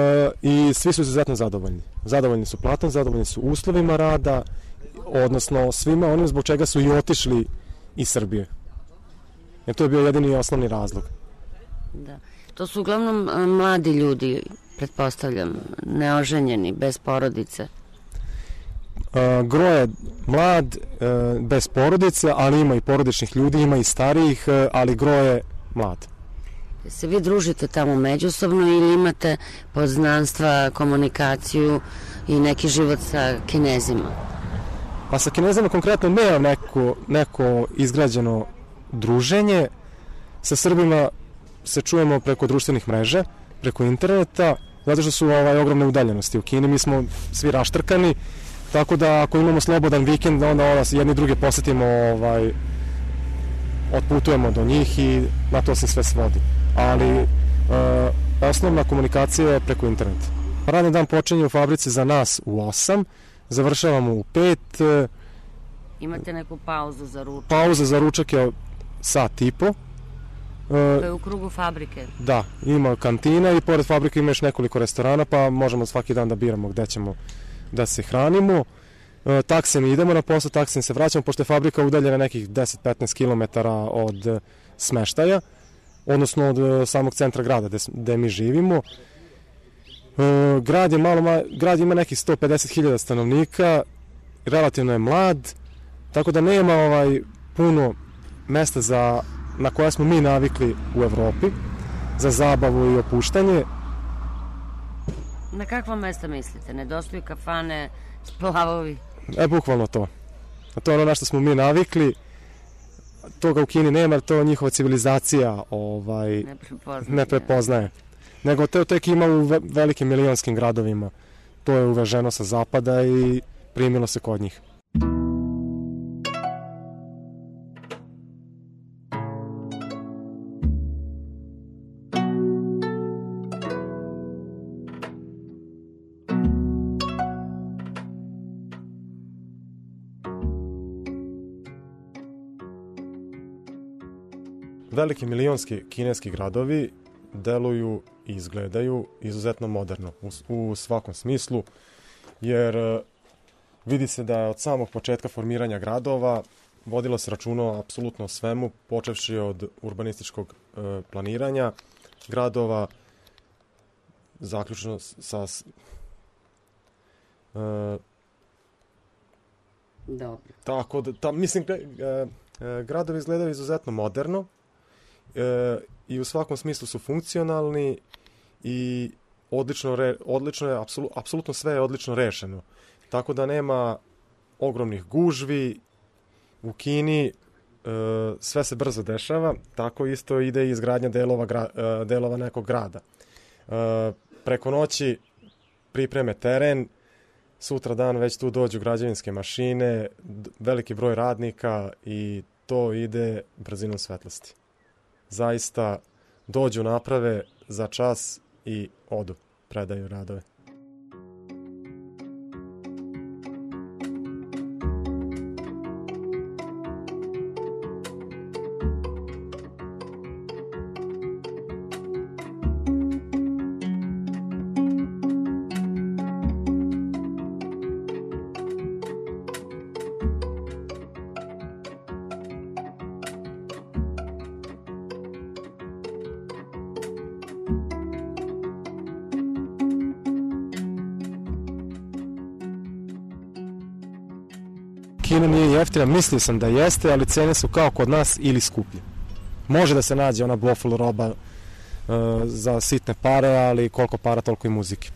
i svi su izuzetno zadovoljni. Zadovoljni su platom, zadovoljni su uslovima rada, odnosno svima onim zbog čega su i otišli iz Srbije. Jer to je bio jedini i osnovni razlog. Da. To su uglavnom a, mladi ljudi, pretpostavljam, neoženjeni, bez porodice. A, gro je mlad, a, bez porodice, ali ima i porodičnih ljudi, ima i starijih, a, ali gro je mlad. Se vi družite tamo međusobno ili imate poznanstva, komunikaciju i neki život sa Kinezima? Pa sa Kinezima konkretno nemam neko, neko izgrađeno druženje. Sa Srbima se čujemo preko društvenih mreža, preko interneta, zato što su ovaj, ogromne udaljenosti. U Kini mi smo svi raštrkani, tako da ako imamo slobodan vikend, onda onda jedni druge posetimo, ovaj, otputujemo do njih i na to se sve svodi. Ali e, osnovna komunikacija je preko interneta. Radni dan počinje u fabrici za nas u osam, završavamo u pet. Imate neku pauzu za ručak? Pauza za ručak je sat i po. To je u krugu fabrike? Da, ima kantina i pored fabrike ima još nekoliko restorana, pa možemo svaki dan da biramo gde ćemo da se hranimo. Taksim idemo na posao, taksim se vraćamo, pošto je fabrika udaljena nekih deset do petnaest kilometara od smeštaja, odnosno od samog centra grada gde, gde mi živimo. Grad je malo, grad ima nekih sto pedeset hiljada stanovnika, relativno je mlad, tako da nema ovaj puno mesta za, na koja smo mi navikli u Evropi, za zabavu i opuštanje. Na kakva mesta mislite? Nedostaju kafane, splavovi? E, bukvalno to. A to je ono na što smo mi navikli. toga u Kini nema, jer to njihova civilizacija ovaj, ne prepoznaje. Ne prepoznaje. Nego to tek ima u velikim milionskim gradovima. To je uveženo sa zapada i primilo se kod njih. Veliki milionski kineski gradovi deluju i izgledaju izuzetno moderno u, u svakom smislu, jer vidi se da je od samog početka formiranja gradova vodilo se računa apsolutno o svemu, počevši od urbanističkog e, planiranja gradova, zaključno sa... E, Dobro. Tako da, ta, mislim, e, e, gradovi izgledaju izuzetno moderno, E, i u svakom smislu su funkcionalni i odlično, re, odlično je, apsolu, apsolutno sve je odlično rešeno. Tako da nema ogromnih gužvi u Kini, e, sve se brzo dešava, tako isto ide i izgradnja delova, gra, e, delova nekog grada. E, preko noći pripreme teren, sutra dan već tu dođu građevinske mašine, veliki broj radnika i to ide brzinom svetlosti. Zaista dođu, naprave za čas i odu, predaju radove. Kina nije jeftina, mislio sam da jeste, ali cene su kao kod nas ili skuplje. Može da se nađe ona waffle roba uh, za sitne pare, ali koliko para, toliko i muzike.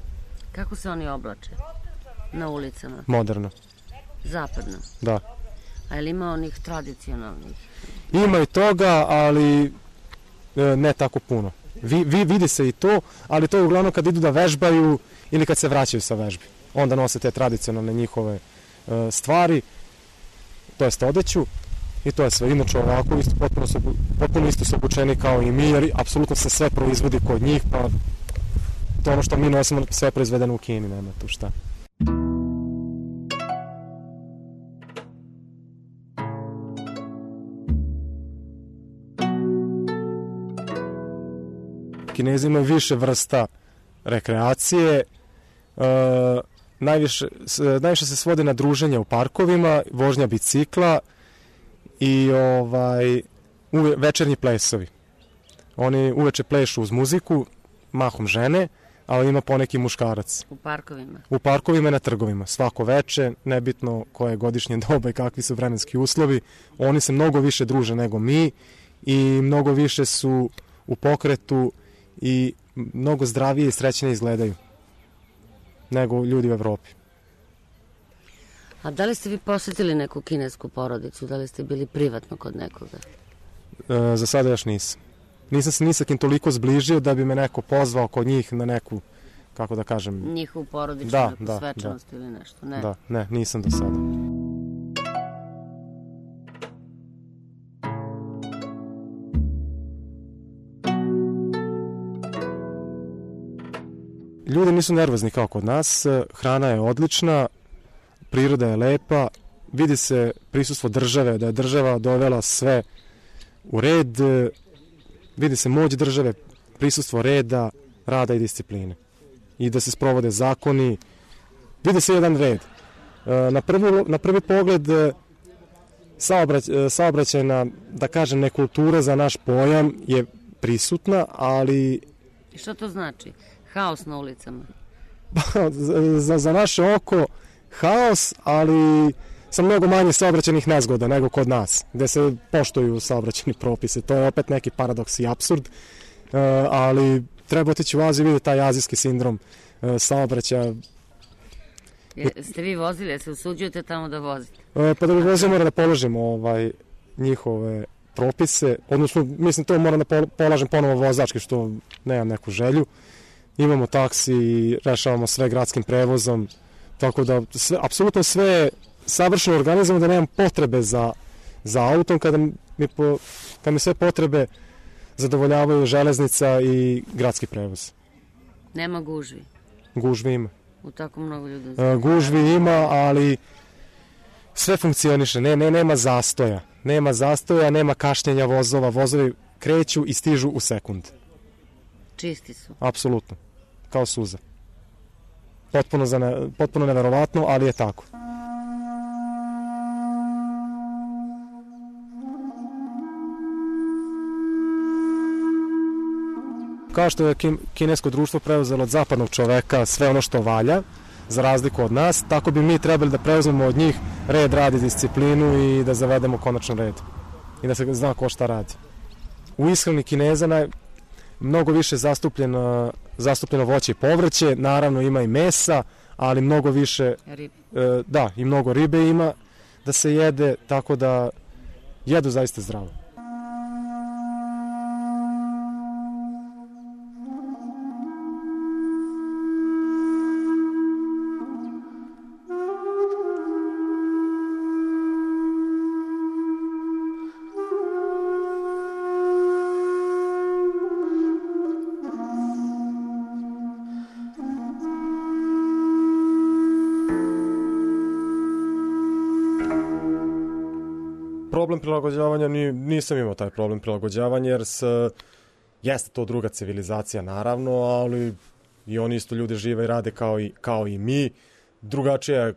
Kako se oni oblače na ulicama? Moderno. Zapadno? Da. A je li ima onih tradicionalnih? Ima i toga, ali e, ne tako puno. Vi, vi, vidi se i to, ali to je uglavnom kad idu da vežbaju ili kad se vraćaju sa vežbi. Onda nose te tradicionalne njihove e, stvari, to jest odeću, i to je sve. Inače ovako isto, potpuno, su, potpuno isto su obučeni kao i mi, jer apsolutno se sve proizvodi kod njih, pa to ono što mi nosimo sve proizvedeno u Kini, nema tu šta. Kinezi imaju više vrsta rekreacije, e, najviše, najviše se svode na druženje u parkovima, vožnja bicikla i ovaj, uve, večernji plesovi. Oni uveče plešu uz muziku, mahom žene, ali ima poneki muškarac. U parkovima? U parkovima i na trgovima. Svako veče, nebitno koje je godišnje doba i kakvi su vremenski uslovi, oni se mnogo više druže nego mi i mnogo više su u pokretu i mnogo zdravije i srećnije izgledaju nego ljudi u Evropi. A da li ste vi posjetili neku kinesku porodicu? Da li ste bili privatno kod nekoga? E, za sada još nisam. Nisam se ni sa kim toliko zbližio da bi me neko pozvao kod njih na neku, kako da kažem... Njihovu porodičnu da, neku da, svečanost da. ili nešto? Ne. Da, ne, nisam do sada. Ljudi nisu nervozni kao kod nas, hrana je odlična, priroda je lepa, vidi se prisustvo države, da je država dovela sve u red, vidi se moć države, prisustvo reda, rada i discipline. I da se sprovode zakoni, vidi se jedan red. Na prvi, na prvi pogled saobrać, saobraćajna, da kažem, nekultura za naš pojam je prisutna, ali... I što to znači? Haos na ulicama? za, za naše oko haos, ali sa mnogo manje saobraćajnih nezgoda nego kod nas, gde se poštuju saobraćajni propise. To je opet neki paradoks i apsurd, ali treba otići u Aziju i vidjeti taj azijski sindrom saobraćaja. Ste vi vozili, se usuđujete tamo da vozite? Pa da bi vozio mora da položimo ovaj, njihove propise, odnosno mislim to moram da polažem ponovo vozački što nemam neku želju. Imamo taksi i rešavamo sve gradskim prevozom, tako da sve, apsolutno sve je savršeno organizovano da nemam potrebe za, za autom kada mi, po, kada mi sve potrebe zadovoljavaju železnica i gradski prevoz. Nema gužvi? Gužvi ima. U tako mnogo ljudi? Uh, gužvi ima, ali sve funkcioniše, ne, ne, nema zastoja. Nema zastoja, nema kašnjenja vozova, vozovi kreću i stižu u sekund. Čisti su? Apsolutno, kao suza. Potpuno, za ne, potpuno neverovatno, ali je tako. Kao što je kinesko društvo preuzelo od zapadnog čoveka sve ono što valja, za razliku od nas, tako bi mi trebali da preuzmemo od njih red, rad i disciplinu i da zavedemo konačan red. I da se zna ko šta radi. U ishrani Kineza naj, mnogo više zastupljeno, zastupljeno voće i povrće, naravno ima i mesa, ali mnogo više, e, da, i mnogo ribe ima da se jede, tako da jedu zaista zdravo. Problem prilagođavanja, nisam imao taj problem prilagođavanja jer s, jeste to druga civilizacija naravno, ali i oni isto ljudi žive i rade kao i, kao i mi. Drugačija,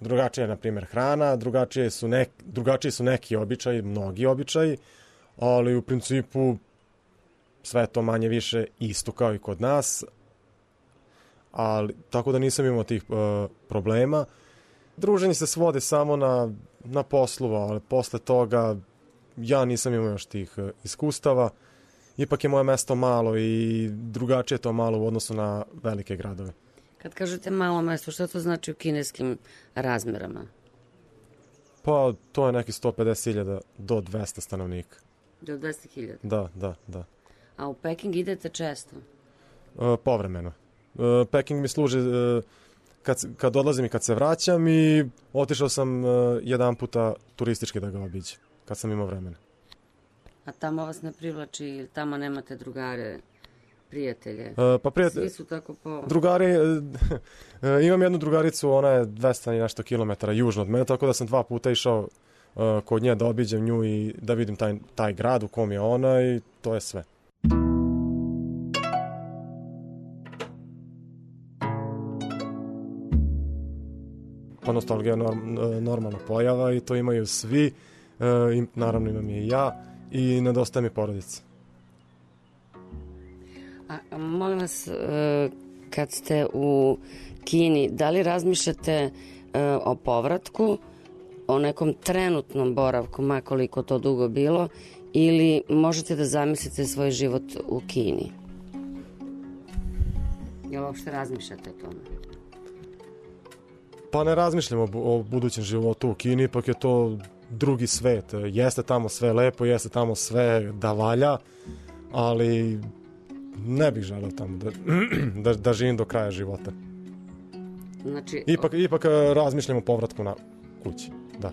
drugačija je na primjer hrana, drugačije su, nek, drugačiji su neki običaji, mnogi običaji, ali u principu sve to manje više isto kao i kod nas, ali, tako da nisam imao tih uh, problema. Druženje se svode samo na, na poslu, ali posle toga ja nisam imao još tih iskustava. Ipak je moje mesto malo i drugačije je to malo u odnosu na velike gradove. Kad kažete malo mesto, što to znači u kineskim razmerama? Pa to je neki sto pedeset hiljada do dvesta stanovnika. Do dvesta hiljada? Da, da, da. A u Peking idete često? E, povremeno. E, Peking mi služi... E, Kad, kad odlazim i kad se vraćam i otišao sam uh, jedan puta turistički da ga obiđem, kad sam imao vremena. A tamo vas ne privlači ili tamo nemate drugare, prijatelje? Uh, pa prijatelje... Svi su tako po... Drugari, uh, uh, imam jednu drugaricu, ona je dvesta i nešto kilometara južno od mene, tako da sam dva puta išao uh, kod nje da obiđem nju i da vidim taj, taj grad u kom je ona i to je sve. Pa nostalgija je norm, normalna pojava i to imaju svi, e, i naravno imam i ja i nedostaje mi porodica. A, molim vas, e, kad ste u Kini, da li razmišljate e, o povratku, o nekom trenutnom boravku, ma koliko to dugo bilo, ili možete da zamislite svoj život u Kini? Jel uopšte razmišljate o tome? Pa ne razmišljam o, o budućem životu u Kini, ipak je to drugi svet. Jeste tamo sve lepo, jeste tamo sve da valja, ali ne bih želeo tamo da, da, da živim do kraja života. Znači... Ipak, ipak razmišljam o povratku na kući, da.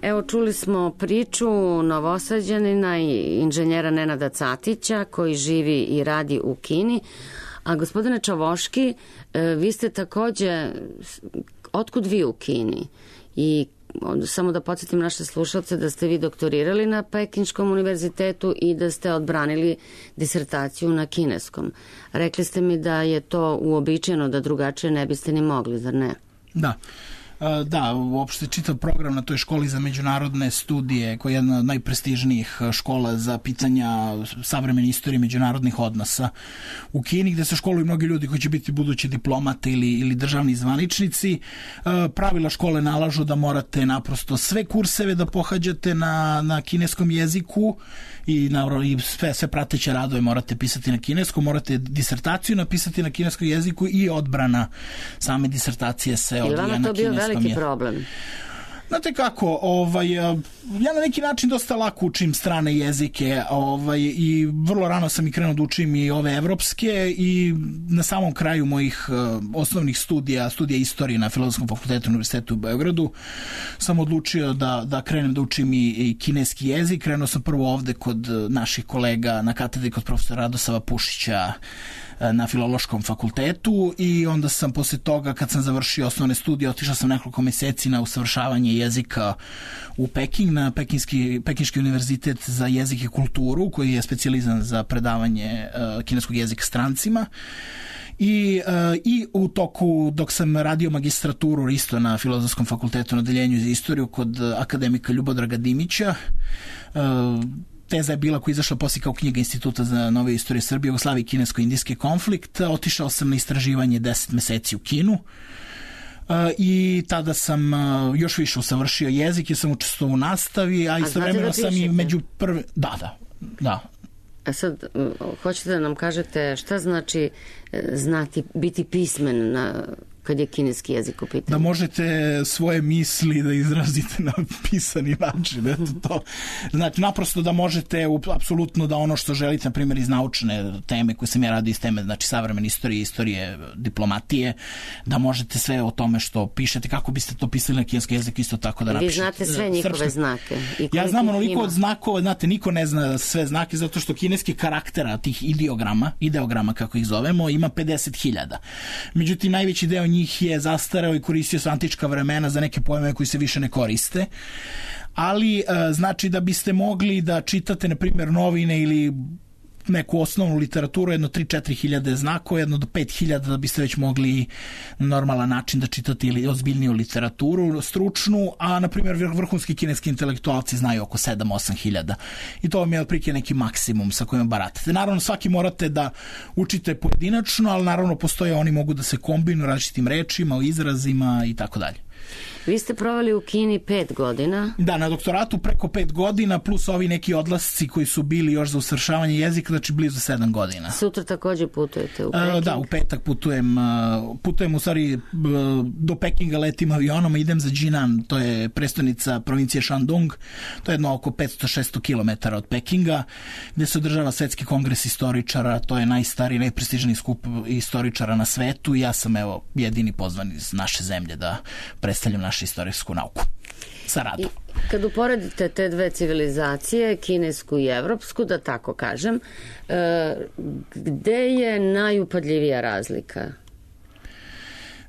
Evo, čuli smo priču Novosađanina i inženjera Nenada Catića koji živi i radi u Kini. A gospodine Čavoški, vi ste takođe, otkud vi u Kini? I samo da podsjetim naše slušalce da ste vi doktorirali na Pekinškom univerzitetu i da ste odbranili disertaciju na kineskom. Rekli ste mi da je to uobičajeno, da drugačije ne biste ni mogli, zar ne? Da. Da, uopšte čitav program na toj školi za međunarodne studije, koja je jedna od najprestižnijih škola za pitanja savremene istorije međunarodnih odnosa u Kini, gde se školuju mnogi ljudi koji će biti budući diplomate ili, ili državni zvaničnici. Pravila škole nalažu da morate naprosto sve kurseve da pohađate na, na kineskom jeziku i, naravno, i sve, sve prateće radove morate pisati na kineskom, morate disertaciju napisati na kineskom jeziku i odbrana same disertacije se odvija na kineskom jeziku. Je li vama to bio veliki problem? Znate kako, ovaj, ja na neki način dosta lako učim strane jezike, ovaj, i vrlo rano sam i krenuo da učim i ove evropske, i na samom kraju mojih uh, osnovnih studija, studija istorije na Filozofskom fakultetu Univerzitetu u Beogradu, sam odlučio da, da krenem da učim i, i kineski jezik. Krenuo sam prvo ovde kod naših kolega na katedri kod profesora Radosava Pušića na Filološkom fakultetu, i onda sam posle toga, kad sam završio osnovne studije, otišao sam nekoliko meseci na usavršavanje jezika u Peking, na Pekinski, Pekinški univerzitet za jezik i kulturu, koji je specijalizan za predavanje uh, kineskog jezika strancima. I, uh, i u toku, dok sam radio magistraturu isto na Filozofskom fakultetu na odeljenju za istoriju kod akademika Ljubodraga Dimića, uh, teza je bila koja je izašla poslije kao knjiga Instituta za nove istorije Srbije, Jugoslavije i kinesko-indijski konflikt. Otišao sam na istraživanje deset meseci u Kinu. Uh, i tada sam uh, još više usavršio jezik, jer sam učestvovao u nastavi, a istovremeno da sam i među prvi... Da, da, da. A sad, hoćete da nam kažete šta znači znati, biti pismen na... kad je kineski jezik u pitanju? Da možete svoje misli da izrazite na pisani način. Eto to. Znači, naprosto da možete apsolutno da ono što želite, na primjer iz naučne teme koje sam ja radio iz teme, znači savremene istorije, istorije diplomatije, da možete sve o tome što pišete, kako biste to pisali na kineski jezik, isto tako da napišete. Vi znate sve njihove srpske znake. I ja znam onoliko od znakova, znate, niko ne zna sve znake, zato što kineski karaktera, tih ideograma, ideograma kako ih zovemo, ima pedeset hiljada. Međutim, najveći deo njih je zastareo i koristio se antička vremena za neke pojmove koji se više ne koriste. Ali e, znači da biste mogli da čitate, na primjer, novine ili neku osnovnu literaturu, jedno tri do četiri hiljade znakova, jedno do pet hiljada da biste već mogli na normalan način da čitate ili ozbiljniju literaturu, stručnu, a na primjer vrhunski kineski intelektualci znaju oko sedam do osam hiljada. I to vam je otprilike neki maksimum sa kojim baratate. Naravno, svaki morate da učite pojedinačno, ali naravno postoje, oni mogu da se kombinuju različitim rečima, izrazima i tako dalje. Vi ste proveli u Kini pet godina. Da, na doktoratu preko pet godina, plus ovi neki odlasci koji su bili još za usavršavanje jezika, znači blizu sedam godina. Sutra takođe putujete u Peking? Uh, da, u petak putujem, uh, putujem u stvari uh, do Pekinga letim avionom, idem za Jinan, to je prestonica provincije Shandong, to je jedno oko petsto do šesto kilometara od Pekinga, gde se održava svetski kongres istoričara, to je najstariji, najprestižniji skup istoričara na svetu, i ja sam evo jedini pozvan iz naše zemlje da predstavljam našu istorijsku nauku sa radom. I kad uporedite te dve civilizacije, kinesku i evropsku, da tako kažem, e, gde je najupadljivija razlika?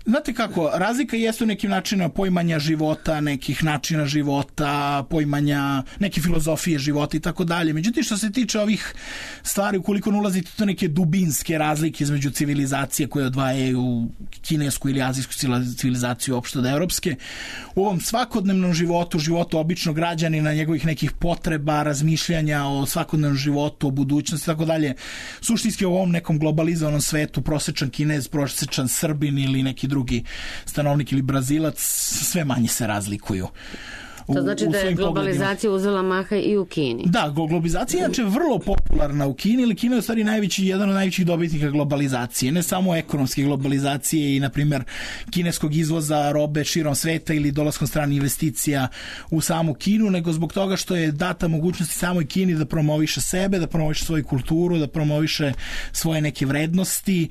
Znate kako, razlika jeste u nekim načinima poimanja života, nekih načina života, poimanja neke filozofije života i tako dalje. Međutim, što se tiče ovih stvari, ukoliko ne ulazite to neke dubinske razlike između civilizacije koje odvajaju kinesku ili azijsku civilizaciju opšte od evropske, u ovom svakodnevnom životu, životu običnog građanina, njegovih nekih potreba, razmišljanja o svakodnevnom životu, o budućnosti i tako dalje, suštinski u ovom nekom globalizovanom svetu prosečan Kinez, prosečan Srbin ili neki drugi stanovnik ili Brazilac sve manje se razlikuju. To znači da je globalizacija uzela maha i u Kini. Da, globalizacija je inače vrlo popularna u Kini, ili Kina je u stvari najveći, jedan od najvećih dobitnika globalizacije. Ne samo ekonomske globalizacije i, na primjer, kineskog izvoza robe širom sveta ili dolaskom stranih investicija u samu Kinu, nego zbog toga što je data mogućnosti samoj Kini da promoviše sebe, da promoviše svoju kulturu, da promoviše svoje neke vrednosti,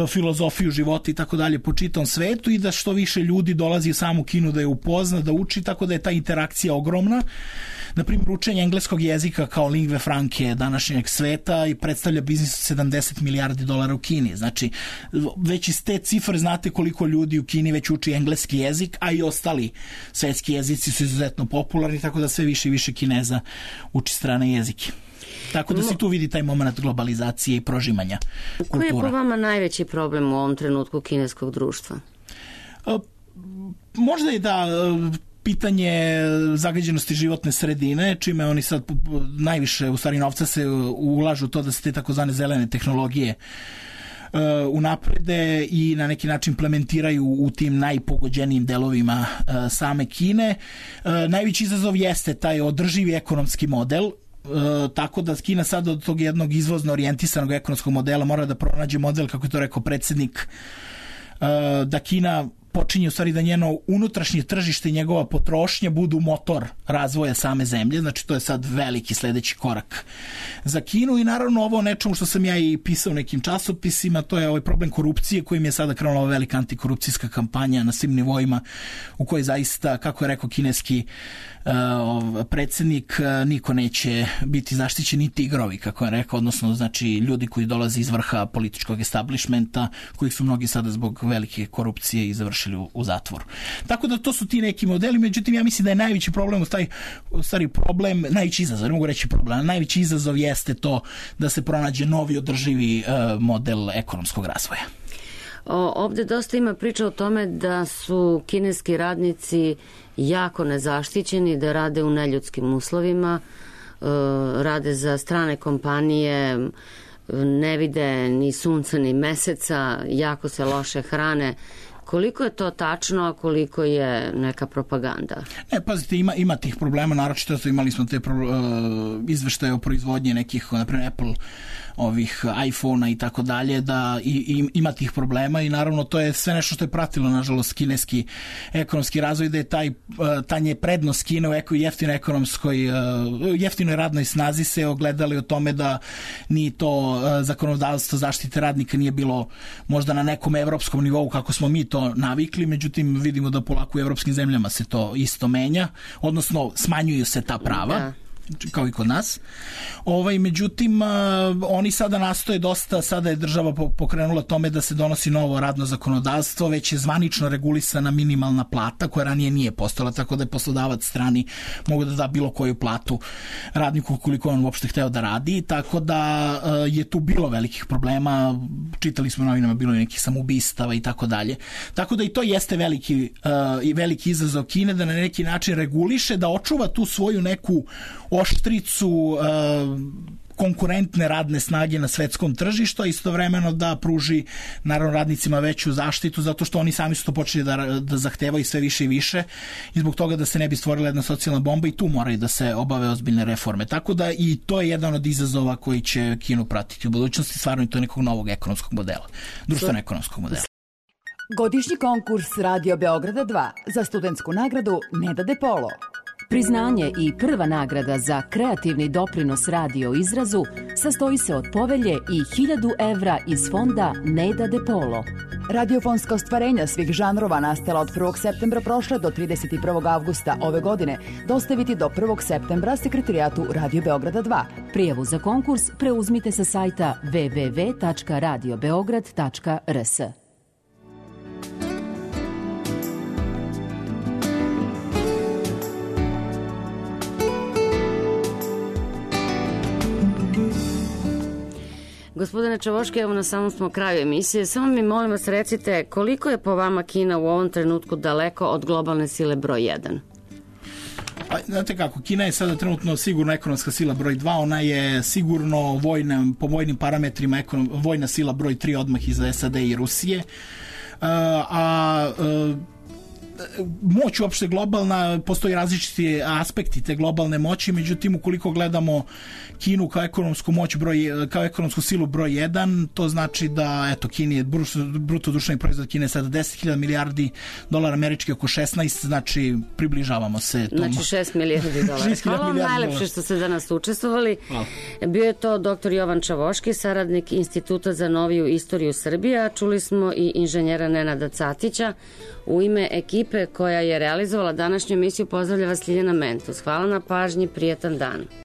filozofiju života i tako dalje po čitavom svetu, i da što više ljudi dolazi u samu Kinu da je upozna, da uči, tako da je ta interakcija ogromna. Na primjer, učenje engleskog jezika kao lingve franke današnjeg sveta i predstavlja biznis od sedamdeset milijardi dolara u Kini. Znači, već iz te cifre znate koliko ljudi u Kini već uči engleski jezik, a i ostali svetski jezici su izuzetno popularni, tako da sve više i više Kineza uči strane jezike. Tako da se tu vidi taj moment globalizacije i prožimanja kultura. Koji je po vama najveći problem u ovom trenutku kineskog društva? možda je da pitanje zagađenosti životne sredine, čime oni sad najviše, u stvari novca se ulažu to da se te takozvane zelene tehnologije unaprede i na neki način implementiraju u tim najpogođenijim delovima same Kine. Najveći izazov jeste taj održivi ekonomski model, tako da Kina sad od tog jednog izvozno orijentisanog ekonomskog modela mora da pronađe model, kako je to rekao predsjednik, da Kina počinje u stvari da njeno unutrašnje tržište i njegova potrošnja budu motor razvoja same zemlje, znači to je sad veliki sledeći korak za Kinu i naravno ovo nečemu što sam ja i pisao u nekim časopisima, to je ovaj problem korupcije kojim je sada krenula ova velika antikorupcijska kampanja na svim nivoima u kojoj zaista, kako je rekao kineski uh, predsjednik, uh, niko neće biti zaštićen, ni tigrovi, kako je rekao, odnosno znači ljudi koji dolaze iz vrha političkog establishmenta, kojih su mnogi sada zbog velike korupcije i završili u zatvoru. Tako da to su ti neki modeli, međutim ja mislim da je najveći problem u taj, u stvari problem, najveći izazov, ne mogu reći problem, najveći izazov jeste to da se pronađe novi održivi uh, model ekonomskog razvoja. O, ovde dosta ima priča o tome da su kineski radnici jako nezaštićeni, da rade u neljudskim uslovima, uh, rade za strane kompanije, ne vide ni sunca ni meseca, jako se loše hrane. Koliko je to tačno, a koliko je neka propaganda? Ne, pazite, ima, ima tih problema, naročito imali smo te pro, uh, izveštaje o proizvodnji nekih, naprimjer Apple, ovih iPhone-a i tako dalje, da i, i, ima tih problema i naravno to je sve nešto što je pratilo, nažalost, kineski ekonomski razvoj, da je taj, ta nje prednost Kine u eko, jeftinoj ekonomskoj, jeftinoj radnoj snazi se ogledali o tome da ni to zakonodavstvo zaštite radnika nije bilo možda na nekom evropskom nivou kako smo mi to navikli, međutim vidimo da polako u evropskim zemljama se to isto menja, odnosno smanjuju se ta prava. Da. Kao i kod nas. Ovaj, međutim, oni sada nastoje dosta, sada je država pokrenula tome da se donosi novo radno zakonodavstvo, već je zvanično regulisana minimalna plata, koja ranije nije postala, tako da je poslodavac strani mogu da da bilo koju platu radniku koliko on uopšte hteo da radi, tako da je tu bilo velikih problema, čitali smo novinama, bilo je nekih samoubistava i tako dalje. Tako da i to jeste veliki, uh, veliki izazov Kine, da na neki način reguliše, da očuva tu svoju neku oštricu uh, konkurentne radne snage na svetskom tržištu, a istovremeno da pruži naravno radnicima veću zaštitu, zato što oni sami su to počeli da, da zahtevaju sve više i više i zbog toga da se ne bi stvorila jedna socijalna bomba i tu moraju da se obave ozbiljne reforme. Tako da i to je jedan od izazova koji će Kinu pratiti u budućnosti, stvarno i to nekog novog ekonomskog modela, društveno-ekonomskog modela. Godišnji konkurs Radio Beograda dva za studentsku nagradu Neda De Polo. Priznanje i prva nagrada za kreativni doprinos radio izrazu sastoji se od povelje i hiljadu evra iz fonda Neda De Polo. Radiofonska ostvarenja svih žanrova nastala od prvog septembra prošle do trideset prvog avgusta ove godine dostaviti do prvog septembra sekretarijatu Radio Beograda dva. Prijavu za konkurs preuzmite sa sajta w w w tačka radio beograd tačka r s. Gospodine Čavoški, evo na samom smo kraju emisije. Samo mi molim vas recite koliko je po vama Kina u ovom trenutku daleko od globalne sile broj jedan? Pa, znate kako, Kina je sada trenutno sigurno ekonomska sila broj dva, ona je sigurno vojna, po vojnim parametrima ekonom, vojna sila broj tri odmah iza S A D i Rusije. Uh, a uh, moć uopšte globalna, postoji različiti aspekti te globalne moći, međutim ukoliko gledamo Kinu kao ekonomsku moć broj, kao ekonomsku silu broj jedan, to znači da eto Kini je bruto društveni proizvod Kine sada deset hiljada milijardi dolara američki, oko šesnaest, znači približavamo se tom. Znači šest milijardi dolara. Hvala vam najlepše što ste danas učestvovali. Hvala. Bio je to doktor Jovan Čavoški, saradnik Instituta za noviju istoriju Srbije, čuli smo i inženjera Nenada Catića. U ime ekipe koja je realizovala današnju emisiju pozdravlja vas Ljiljana Mentus. Hvala na pažnji, prijetan dan.